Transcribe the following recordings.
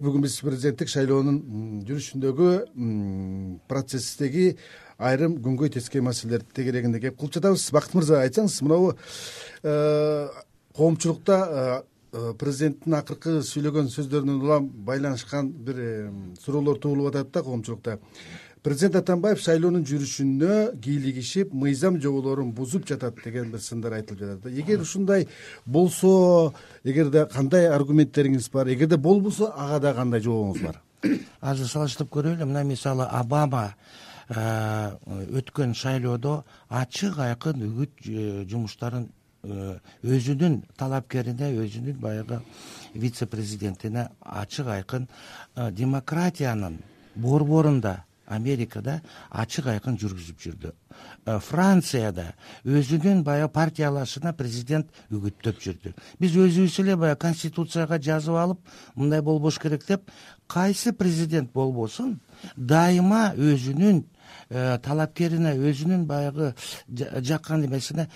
Бүгүн биз президенттик шайлоонун жүрүшүндөгү процесстеги айрым күнгөй тескей маселелер тегерегинде кеп кылып жатабыз. Бакыт мырза, айтсаңыз, мынабу коомчулукта президенттин акыркы сүйлөгөн сөздөрүнөн улам байланышкан бир суроолор туулуп атат да коомчулукта. Президент Атамбаев шайлоонун жүрүшүнө кийлигишип, мыйзам жоболорун бузуп жатат деген бир сындар айтылып жатат. Эгер ушундай болсо, эгерде кандай аргументтериңиз бар, эгерде болбосо ага да кандай жообуңуз бар? Азыр салыштырып көрөлү. Мына мисалы Обама өткөн шайлоодо ачык айкын үгүт жумуштарын өзүнүн талапкерине, өзүнүн баягы вице-президентине ачык айкын демократиянын борборунда Америкада ачык айкын жүргүзүп жүрдү. Францияда өзүнүн баягы партиялашына президент үгүттөп жүрдү. Биз өзүбүз эле баягы конституцияга жазып алып, мындай болбош керек деп, кайсы президент болбосун, дайыма өзүнүн талапкерине, өзүнүн баягы жаккан эмесине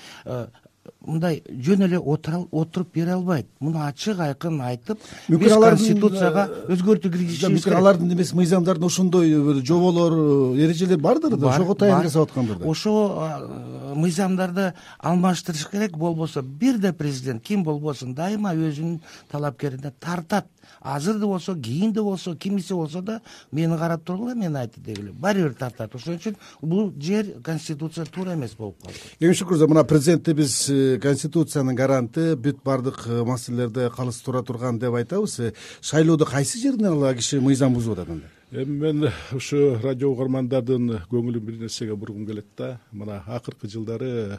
мындай жөн эле отуруп бере албайт. Муну ачык айкын айтып, биз конституцияга өзгөртүү киргизишибиз керек. Алардын эмес мыйзамдардын ошондой бир жоболор, эрежелер бардыр да, ошого таян жасап аткандыр да. Ошо мыйзамдарды алмаштырыш керек. Болбосо бирде президент ким болбосун дайыма өзүнүн талапкерине тартат. Азыр да болсо, кийин да болсо, кимиси болсо да мени карап тургула, мен айтты дегиле. Баары бир тартат. Ошон үчүн бул жер конституция туура эмес болуп калды. Шүкүр, мына президентти биз конституциянын гаранты, бүт баардык маселелерди калыстыра турган деп айтабыз. Шайлоодо кайсы жеринен ала киши мыйзам бузуп атат анда? Мен ушу радио угармандардын көңүлүн бир нерсеге бургум келет да. Мына акыркы жылдары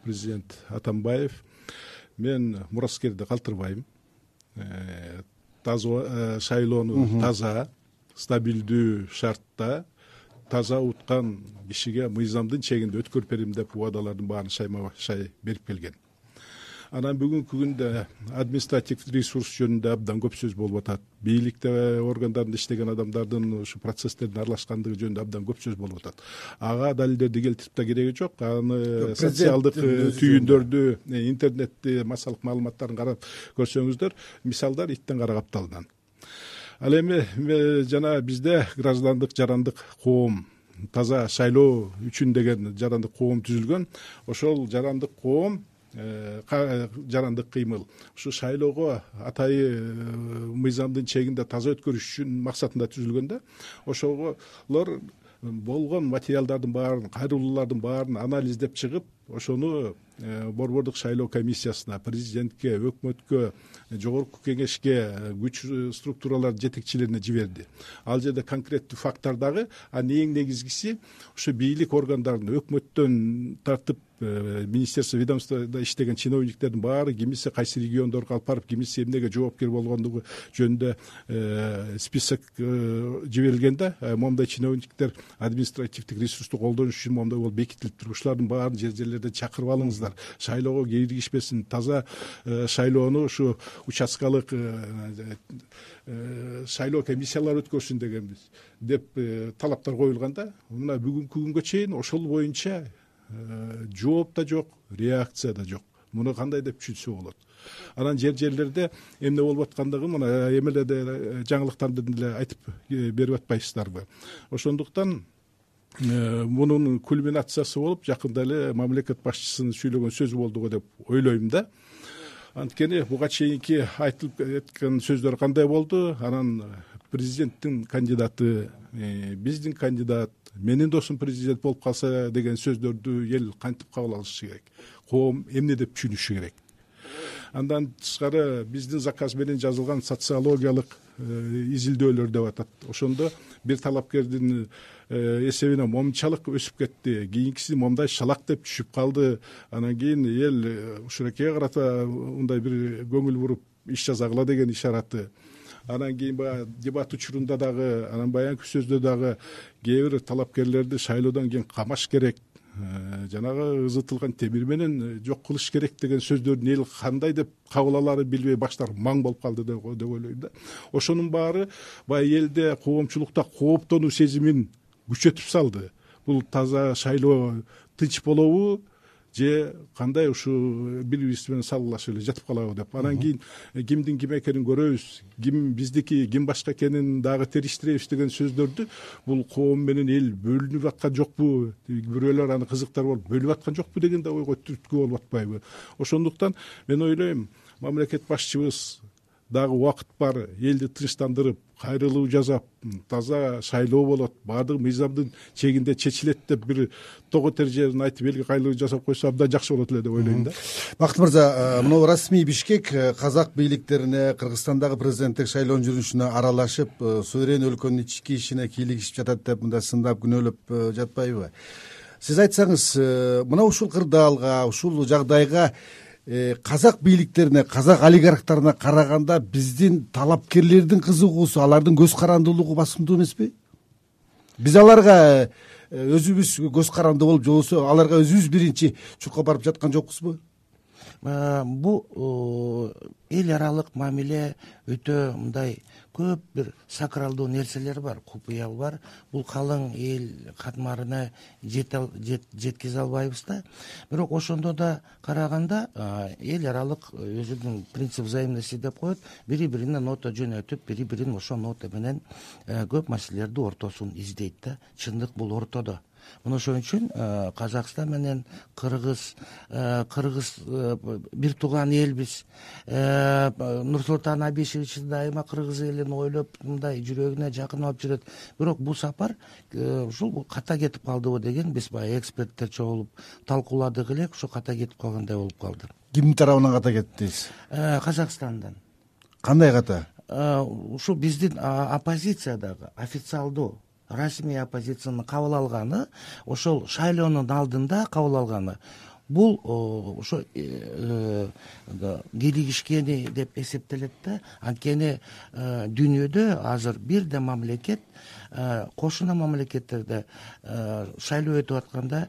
президент Атамбаев, мен мураскерди калтырбайм, таза шайлоону таза, стабилдүү шартта таза уткан кишиге мыйзамдын чегинде өткөрүп берем деп убадалардын баарын шайма шай берип келген. Анан бүгүнкү күндө административдик ресурс жөнүндө абдан көп сөз болуп атат. Бийликте органдарында иштеген адамдардын ушу процесстердин аралашкандыгы жөнүндө абдан көп сөз болуп атат. Ага далилдерди келтирип да кереги жок. Аны социалдык түйүндөрдү, интернетти, массалык маалыматтарын карап көрсөңүздөр, мисалдар иттен кара капталдан. Ал эми жана бизде граждандык жарандык коом, таза шайлоо үчүн деген жарандык коом түзүлгөн. Ошол жарандык коом, жарандык кыймыл ушу шайлоого атайы мыйзамдын чегинде таза өткөрүш үчүн максатында түзүлгөн да. Ошолор болгон материалдардын баарын, кайрылуулардын баарын анализдеп чыгып, ошону борбордук шайлоо комиссиясына, президентке, өкмөткө, жогорку кеңешке, күч структуралар жетекчилерине жиберди. Ал жерде конкреттүү факттар дагы, эң негизгиси ушу бийлик органдарынын, өкмөттөн тартып министерство, ведомствода иштеген чиновниктердин баары кимиси кайсы региондорго алып барып, кимиси эмнеге жоопкер болгондугу жөнүндө список жиберилген да. Момундай чиновниктер административдик ресурсту колдонуш үчүн момундай болуп бекитилип туруп, ушулардын баарын жер-жерлерден чакырып алыңыздар. Шайлоого киргишпесин, таза шайлоону ушу участкалык шайлоо комиссиялары өткөрсүн дегенбиз деп талаптар коюлган да. Мына бүгүнкү күнгө чейин ошол боюнча жооп да жок, реакция да жок. Муну кандай деп түшүнсө болот? Анан жер-жерлерде эмне болуп аткандыгын мына эмелерде жаңылыктарды деле айтып берип атпайсыздарбы? Ошондуктан мунун кульминациясы болуп, жакында эле мамлекет башчысынын сүйлөгөн сөзү болду го деп ойлойм да. Анткени буга чейинки айтылып кеткен сөздөр кандай болду? Анан президенттин кандидаты, биздин кандидат, менин досум президент болуп калса деген сөздөрдү эл кантип кабыл алышы керек? Коом эмне деп түшүнүшү керек? Андан тышкары биздин заказ менен жазылган социологиялык изилдөөлөр деп атат. Ошондо бир талапкердин эсебине момунчалык өсүп кетти, кийинкиси момундай шалак деп түшүп калды. Анан кийин эл ушуракейге карата мындай бир көңүл буруп иш жасагыла деген ишараты. Анан кийин баягы дебат учурунда дагы, анан баягы сөздө дагы кээ бир талапкерлерди шайлоодон кийин камаш керек, жанагы ызытылган темир менен жок кылыш керек деген сөздөрдүн эл кандай деп кабыл аларын билбей баштары маң болуп калды деп ойлойм да. Ошонун баары баягы элде, коомчулукта кооптонуу сезимин күчөтүп салды. Бул таза шайлоо тынч болобу же кандай ушу бири бирибиз менен салгылашып эле жатып калабы деп. Анан кийин кимдин ким экенин көрөбүз, ким биздики, ким башка экенин дагы териштиребиз деген сөздөрдү бул коом менен эл бөлүнүп аткан жокпу, бирөөлөр аны кызыктар болуп бөлүп аткан жокпу деген да ойго түрткү болуп атпайбы. Ошондуктан мен ойлойм, мамлекет башчыбыз дагы убакыт бар, элди тынчтандырып, кайрылуу жасап, таза шайлоо болот, баардык мыйзамдын чегинде чечилет деп бир тогот эрежелерин айтып элге кайрылуу жасап койсо абдан жакшы болот эле деп ойлойм да. Бакыт мырза, мына расмий Бишкек казак бийликтерине, Кыргызстандагы президенттик шайлоонун жүрүшүнө аралашып, суверен өлкөнүн ички ишине кийлигишип жатат деп мындай сындап күнөөлөп жатпайбы? Сиз айтсаңыз, мына ушул кырдаалга, ушул жагдайга казак бийликтерине, казак олигархтарына караганда биздин талапкерлердин кызыгуусу, алардын көз карандуулугу басымдуу эмеспи? Биз аларга өзүбүз көз каранды болуп, же болбосо аларга өзүбүз биринчи чуркап барып жаткан жокпузбу? Бул эл аралык мамиле өтө мындай көп бир сакралдуу нерселер бар, купуя бар. Бул калың эл катмарына жеткизе албайбыз да. Бирок ошондо да караганда эл аралык өзүнүн принцип взаимности деп коет, бири-бирине нота жөнөтүп, бири-бирин ошол нота менен көп маселелерди ортосун издейт да. Чындык бул ортодо. Мына ошон үчүн Казакстан менен Кыргыз бир тууган элбиз. Нурсултан Абишевич дайыма кыргыз элин ойлоп, мындай жүрөгүнө жакын алып жүрөт. Бирок бул сапар ушул ката кетип калдыбы деген биз баягы эксперттер чогулуп талкууладык элек, ошо ката кетип калгандай болуп калды. Кимдин тарабынан ката кетти дейсиз? Казакстандан. Кандай ката? Ушул биздин оппозициядагы официалдуу расмий оппозициянын кабыл алганы, ошол шайлоонун алдында кабыл алганы, бул ошо кийлигишкени деп эсептелет да. Анткени дүйнөдө азыр бир да мамлекет, кошуна мамлекеттерде шайлоо өтүп атканда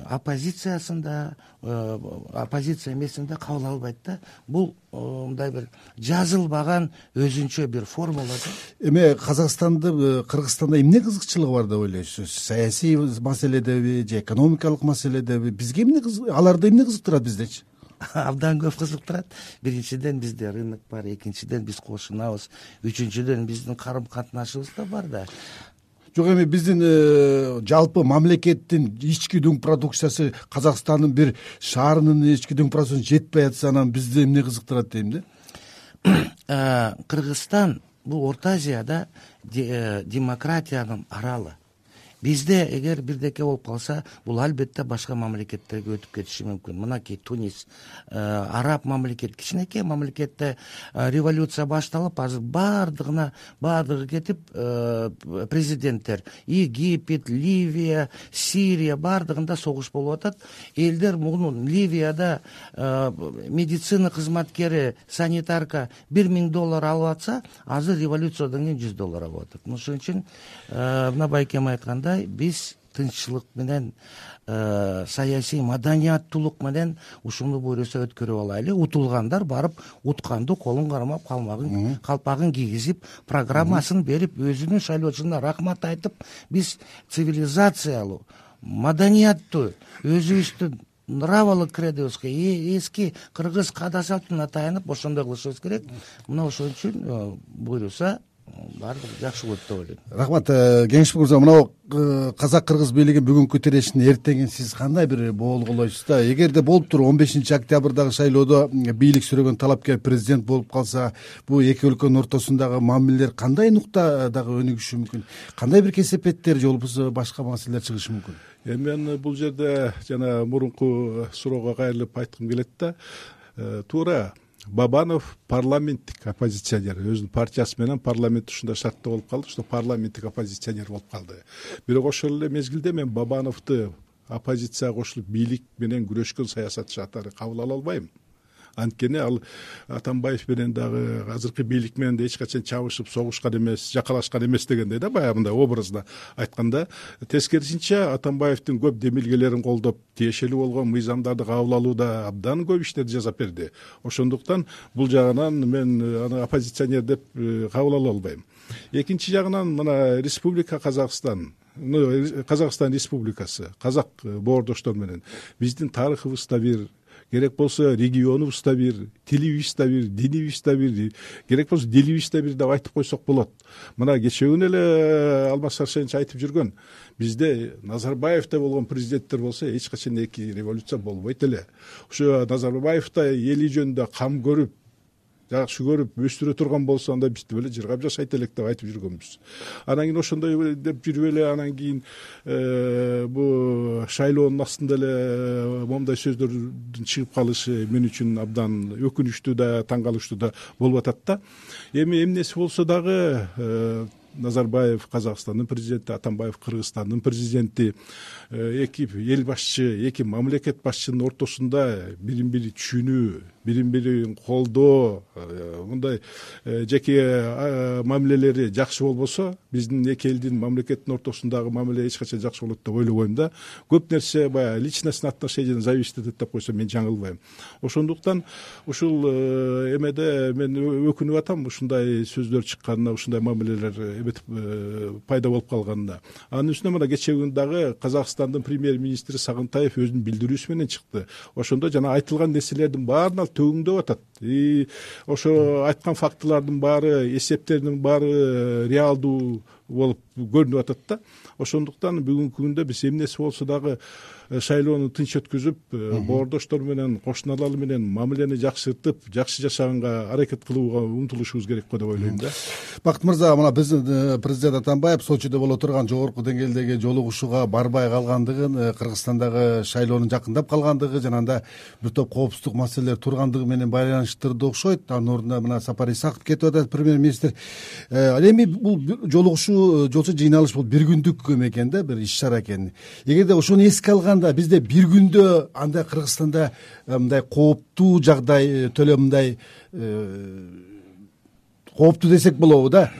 оппозициясында, оппозиция эмесинде кабыл албайт да. Бул мындай бир жазылбаган өзүнчө бир формула да. Эми Казакстанды, Кыргызстанда эмне кызыкчылыгы бар деп ойлойсуз? Саясий маселедеби же экономикалык маселедеби? Бизге эмне аларды эмне кызыктырат биздечи? Абдан көп кызыктырат. Биринчиден бизде рынок бар, экинчиден биз кошунабыз, үчүнчүдөн биздин карым катнашыбыз да бар да. Жок, эми биздин жалпы мамлекеттин ички дүң продукциясы Казакстандын бир шаарынын ички дүң продукциясы жетпей атса, анан бизди эмне кызыктырат дейм да. Кыргызстан бул Орто Азияда демократиянын аралы. Бизде эгер бирдеке болуп калса, бул албетте башка мамлекеттерге өтүп кетиши мүмкүн. Мынакей Тунис, араб мамлекет, кичинекей мамлекетте революция башталып, азыр баардыгы кетип, президенттер Египет, Ливия, Сирия баардыгында согуш болуп атат. Элдер муну Ливияда медицина кызматкери, санитарка $1000 алып атса, азыр революциядан кийин $100 алып атат. Ошон үчүн мына байкем айтканда, биз тынччылык менен, саясий маданияттуулук менен ушуну буйруса өткөрүп алайлы. Утулгандар барып утканды колун кармап, калпагын кийгизип, программасын берип, өзүнүн шайлоочуна рахмат айтып, биз цивилизациялуу, маданияттуу, өзүбүздүн нравалык кредобузга, эски кыргыз каада салтына таянып ошондой кылышыбыз керек. Мына ошон үчүн буйруса баардыгы жакшы болот деп ойлойм. Рахмат, Кеңешбек мырза. Мына казак-кыргыз бийлигин бүгүнкү тирешин эртеңин сиз кандай бир боолголойсуз да? Эгерде болуп туруп 15 октябрдагы шайлоодо бийлик сүрөгөн талапкер президент болуп калса, бул эки өлкөнүн ортосундагы мамилелер кандай нуктадагы өнүгүшү мүмкүн? Кандай бир кесепеттер же болбосо башка маселелер чыгышы мүмкүн? Мен бул жерде жана мурунку суроого кайрылып айткым келет да. Туура Бабанов парламенттик оппозиционер, өзүнүн партиясы менен парламент ушундай шартта болуп калды, что парламенттик оппозиционер болуп калды. Бирок ошол эле мезгилде мен Бабановду оппозицияга кошулуп бийлик менен күрөшкөн саясатчы катары кабыл ала албайм. Анткени ал Атамбаев менен дагы азыркы бийлик менен эч качан чабышып, согушкан эмес, жакалашкан эмес дегендей да, баягы мындай образда айтканда. Тескерисинче Атамбаевдин көп демилгелерин колдоп, тиешелүү болгон мыйзамдарды кабыл алууда абдан көп иштерди жасап берди. Ошондуктан бул жагынан мен аны оппозиционер деп кабыл ала албайм. Экинчи жагынан мына Республика Казакстан Казакстан Республикасы казак боордоштор менен биздин тарыхыбызда бир, керек болсо регионубузда бир, тилибизде бир, динибизде бир, керек болсо дилибизде бир деп айтып койсок болот. Мына кечээ күнү эле Алмаз Сарсенович айтып жүргөн, бизде Назарбаевда болгон президенттер болсо эч качан эки революция болбойт эле. Ошо Назарбаевда эли жөнүндө кам көрүп, жакшы көрүп өстүрө турган болсо анда бизди беле жыргап жашайт элек деп айтып жүргөнбүз. Анан кийин ошондой деп жүрүп эле анан кийин бу шайлоонун астында эле момундай сөздөрдүн чыгып калышы мен үчүн абдан өкүнүчтүү да, таң калыштуу да болуп атат да. Эми эмнеси болсо дагы Назарбаев Казакстандын президенти, Атамбаев Кыргызстандын президенти, эки эл башчы, эки мамлекет башчынын ортосунда бирин бири түшүнүү, бирин бирин колдоо, мындай жеке мамилелери жакшы болбосо, биздин эки элдин мамлекеттин ортосундагы мамиле эч качан жакшы болот деп ойлобойм да. Көп нерсе баягы личностный отношенияден зависит этет деп койсом мен жаңылбайм. Ошондуктан ушул эмеде мен өкүнүп атам, ушундай сөздөр чыкканына, ушундай мамилелер пайда болуп калганына. Анын үстүнө мына кечээ күнү дагы Казакстандын премьер-министри Сагынтаев өзүнүн билдирүүсү менен чыкты. Ошондо жана айтылган нерселердин баарына төгүңдөп атат. Ошо айткан фактылардын баары, эсептердин баары реалдуу болуп көрүнүп атат да. Ошондуктан бүгүнкү күндө биз эмнеси болсо дагы шайлоону тынч өткүзүп, боордоштор менен, кошуналар менен мамилени жакшыртып, жакшы жашаганга аракет кылууга умтулушубуз керек го деп ойлойм да. Бакыт мырза, мына биздин президент Атамбаев Сочиде боло турган жогорку деңгээлдеги жолугушууга барбай калгандыгын, Кыргызстандагы шайлоонун жакындап калгандыгы жана анда бир топ коопсуздук маселелер тургандыгы менен байланыштырды окшойт. Анын ордуна мына Сапар Исаков кетип атат, премьер-министр. Ал эми бул жолугушуу, жолчу жыйналыш бул бир күндүк экен да, бир иш чара экен. Эгерде ошону эске алганда бизде бир күндө анда Кыргызстанда мындай кооптуу жагдай, төлө мындай кооптуу десек болобу да.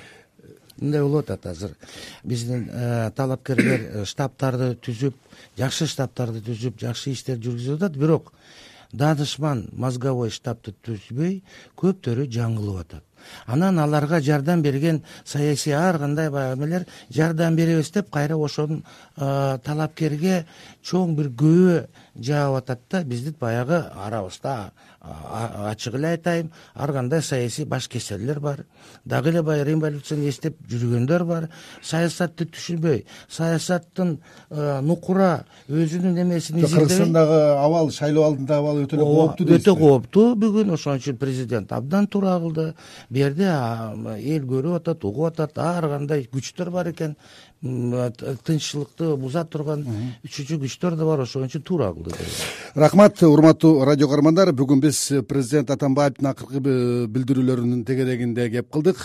Мындай болуп атат азыр. Биздин талапкерлер штабтарды түзүп, жакшы штабтарды түзүп, жакшы иштер жүргүзүп атат, бирок данышман мозговой штабты түзбөй көптөрү жаңылып атат. Анан аларга жардам берген саясий ар кандай баягы эмелер жардам беребиз деп кайра ошонун талапкерге чоң бир күбө жаап атат да. Биздин баягы арабызда ачык эле айтайын, ар кандай саясий баш кесерлер бар. Дагы эле баягы революцияны эстеп жүргөндөр бар. Саясатты түшүнбөй, саясаттын нукура өзүнүн эмесин изилдебей. Кыргызстандагы абал, шайлоо алдындагы абал өтө эле кооптуу дейсиз. Өтө кооптуу бүгүн. Ошон үчүн президент абдан туура кылды. Бу жерде эл көрүп атат, угуп атат, ар кандай күчтөр бар экен. Тынччылыкты буза турган үчүнчү күчтөр да бар. Ошон үчүн туура кылды. Рахмат, урматтуу радио көрөрмандар. Бүгүн биз президент Атамбаевдин акыркы билдирүүлөрүнүн тегерегинде кеп кылдык.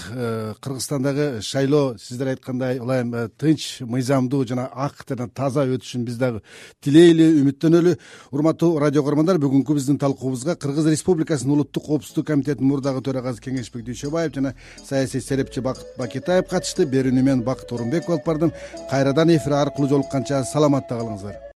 Кыргызстандагы шайлоо сиздер айткандай ылайым тынч, мыйзамдуу жана ак жана таза өтүшүн биз дагы тилейли, үмүттөнөлү. Урматтуу радио көрөрмандар, бүгүнкү биздин талкуубузга Кыргыз Республикасынын Улуттук коопсуздук комитетинин мурдагы төрагасы Кеңешбек Дүйшөбаев жана саясий серепчи Бакыт Бакетаев катышты. Берүүнү мен Бакыт Орунбеков алып бардым. Кайрадан эфир аркылуу жолукканча саламатта калыңыздар.